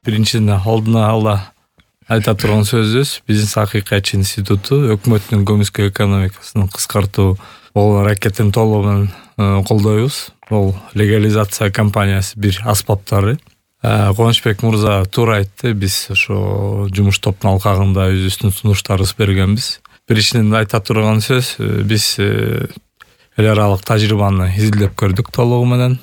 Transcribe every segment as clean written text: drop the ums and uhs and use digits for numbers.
Биринчиден алдына ала айта турган сөзүбүз Бизнес Акыйкатчы институту өкмөттүн көмүскө экономикасын кыскартуу аракетин толугу менен колдойбуз. Бул легализация компаниясы бир аспаптары. Кубанычбек мырза туура айтты, биз ошо жумуш топтун алкагында өзүбүздүн сунуштарыбызды бергенбиз. Биринчиден айта турган сөз, биз эл аралык тажрыйбаны изилдеп көрдүк толугу менен.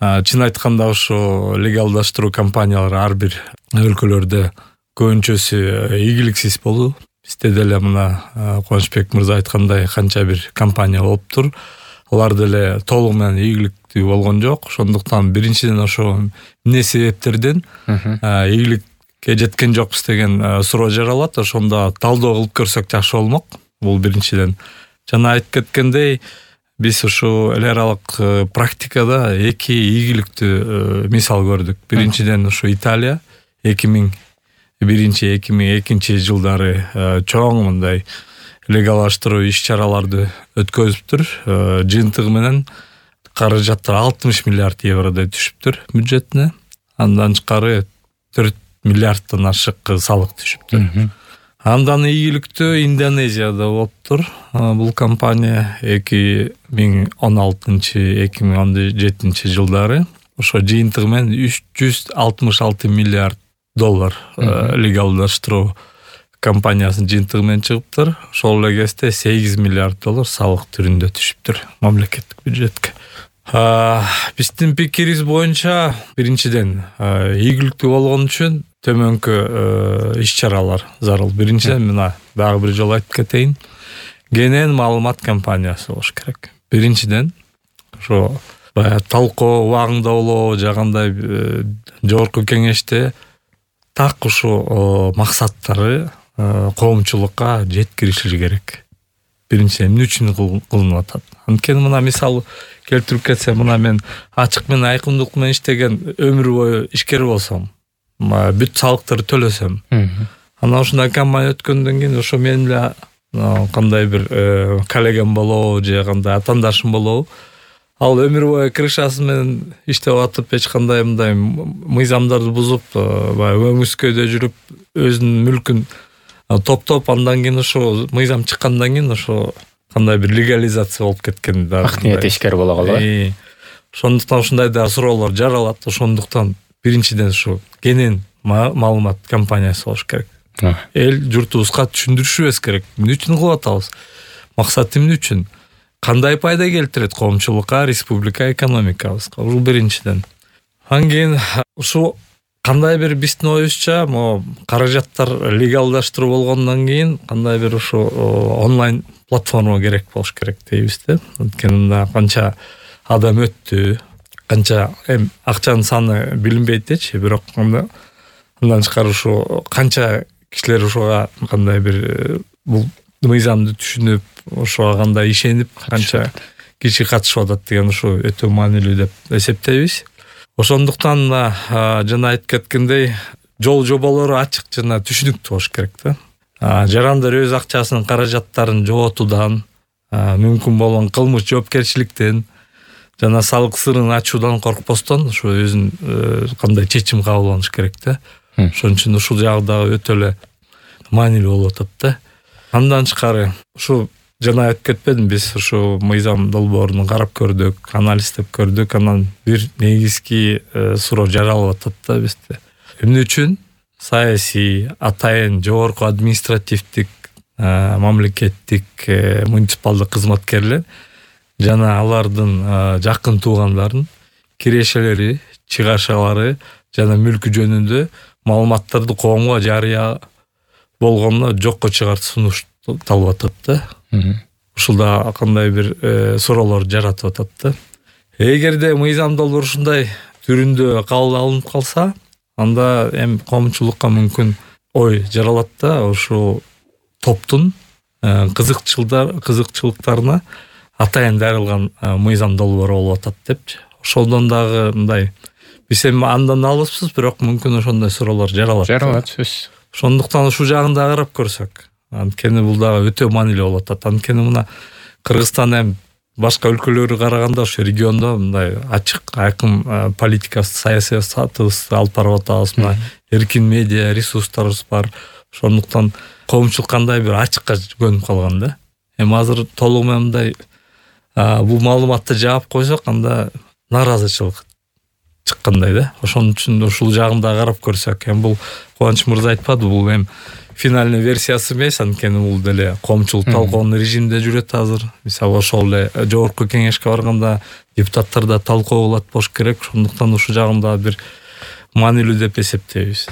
Чын айтканда ошо легалдаштыруу компаниялары ар бир өлкөлөрдө көбүнчөсү ийгиликсиз болду. Бизде деле мына Кубанычбек мырза айткандай канча бир компания болуптур. Алар деле толугу менен ийгиликтүү болгон жок. Ошондуктан биринчиден ошо эмне себептерден ийгиликке жеткен жокпуз деген суроо жаралат. Ошондо талдоо кылып көрсөк жакшы болмок. Бул биринчиден. Жана айтып кеткендей, биз ушу эл аралык практикада эки ийгиликтүү мисал көрдүк. Биринчиден ушу Италия 2001-2002 жылдары чоң мындай легалдаштыруу иш-чараларды өткөзүптүр. Жыйынтыгы менен каражаттар 60 миллиард евродой түшүптүр бюджетине. Андан тышкары 4 миллиарддан ашык салык түшүптүр. Андан ийгиликтүү Индонезияда болуптур. Бул компания 2016-2017 жылдары ошо жыйынтыгы менен 366 миллиард доллар легалдаштыруу компаниясынын жыйынтыгы менен чыгыптыр. Ошол эле кезде 8 миллиард доллар салык түрүндө түшүптүр мамлекеттик бюджетке. Биздин пикирибиз боюнча биринчиден ийгиликтүү болгон үчүн төмөнкү иш-чаралар зарыл. Биринчиден мына дагы бир жолу айтып кетейин. Кенен маалымат компаниясы болуш керек. Биринчиден ошо талкуу убагында болобу жагандай жогорку кеңеште так ушу максаттары коомчулукка жеткириши керек. Биринчиден эмне үчүн кылынып атат? Анткени мына мисал келтирип кетсем, мына мен ачык менен айкындык менен иштеген өмүр бою ишкер болсом, бүт салыктарды төлөсөм, анан ушундай компания өткөндөн кийин ошо менин эле кандай бир коллегам болобу же кандай атаандашым болобу, ал өмүр бою крышасы менен иштеп атып, эч кандай мындай мыйзамдарды бузуп, өңүскөдө жүрүп, өзүнүн мүлкүн топтоп, андан кийин ошо мыйзам чыккандан кийин ошо кандай бир легализация болуп кеткен да. Акты тешкери боло калат. Ошондуктан ушундай да суроолор жаралат. Ошондуктан биринчиден ушу кенен маалымат компаниясы болуш керек. Эл журтубузга түшүндүрүшүбүз керек. Эмне үчүн кылып атабыз? Максат эмне үчүн? Кандай пайда келтирет коомчулукка, республика экономикабызга? Бул биринчиден. Андан кийин ушу кандай бир биздин оюбузча, каражаттар легалдаштыруу болгондон кийин кандай бир ушу онлайн платформа керек болуш керек дейбиз да. Анткени мында канча адам өттү, канча акчанын саны билинбейт дечи, бирок андан тышкары ушу канча кишилер ушуга кандай бир бул мыйзамды түшүнүп, ошого кандай ишенип, канча киши катышып атат деген ушу өтө маанилүү деп эсептейбиз. Ошондуктан жана айтып кеткендей, жол жоболору ачык жана түшүнүктүү болуш керек да. Жарандар өз акчасынын каражаттарын жоготуудан, мүмкүн болгон кылмыш жоопкерчиликтен жана салык сырын ачуудан коркпостон ушу өзүн кандай чечим кабыл керек да. Ошон үчүн ушул жагы дагы өтө эле маанилүү болуп атат да. Андан тышкары ушу жана айтып кетпедим, биз ушу мыйзам долбоорун карап көрдүк, анализдеп көрдүк. Анан бир негизги суроо жаралып атат да бизде. Эмне үчүн саясий, атайын жогорку административдик, мамлекеттик, муниципалдык кызматкерлер жана алардын жакын туугандарын кирешелери, чыгашалары жана мүлкү жөнүндө маалыматтарды коомго жарыя болгондо жокко чыгартып сунуш талап атат да. Ушулда кандай бир суроолор жаратып атат да. Эгерде мыйзам долбоор ушундай түрүндө кабыл алынып калса, анда коомчулукка мүмкүн ой жаралат да, ошол топтун кызыкчылыктарына атайын дарылган мыйзам долбоору болуп атат депчи. Ошолдон дагы мындай биз андан алыспыз, бирок мүмкүн ошондой суроолор жаралат. Сөз. Ошондуктан ушул жагын да карап көрсөк, анткени бул дагы өтө маанилүү болуп атат. Анткени мына Кыргызстан башка өлкөлөргө караганда ошо региондо мындай ачык айкын политика саясатыбызды алып барып атабыз. Мына эркин медиа ресурстарыбыз бар. Ошондуктан коомчулук кандай бир ачыкка көнүп калган да. Эми азыр толугу менен мындай бул маалыматты жаап койсок, анда нааразычылык чыккандай да. Ошон үчүн ушул жагын да карап көрсөк, эми бул Кубаныч мырза айтпады, бул эми финальный версиясы эмес, анткени бул деле коомчулук талкуунун режиминде жүрөт азыр. Мисалы ошол эле жогорку кеңешке барганда депутаттар да талкуу кылат болуш керек. Ошондуктан ушул жагында бир маанилүү деп эсептейбиз.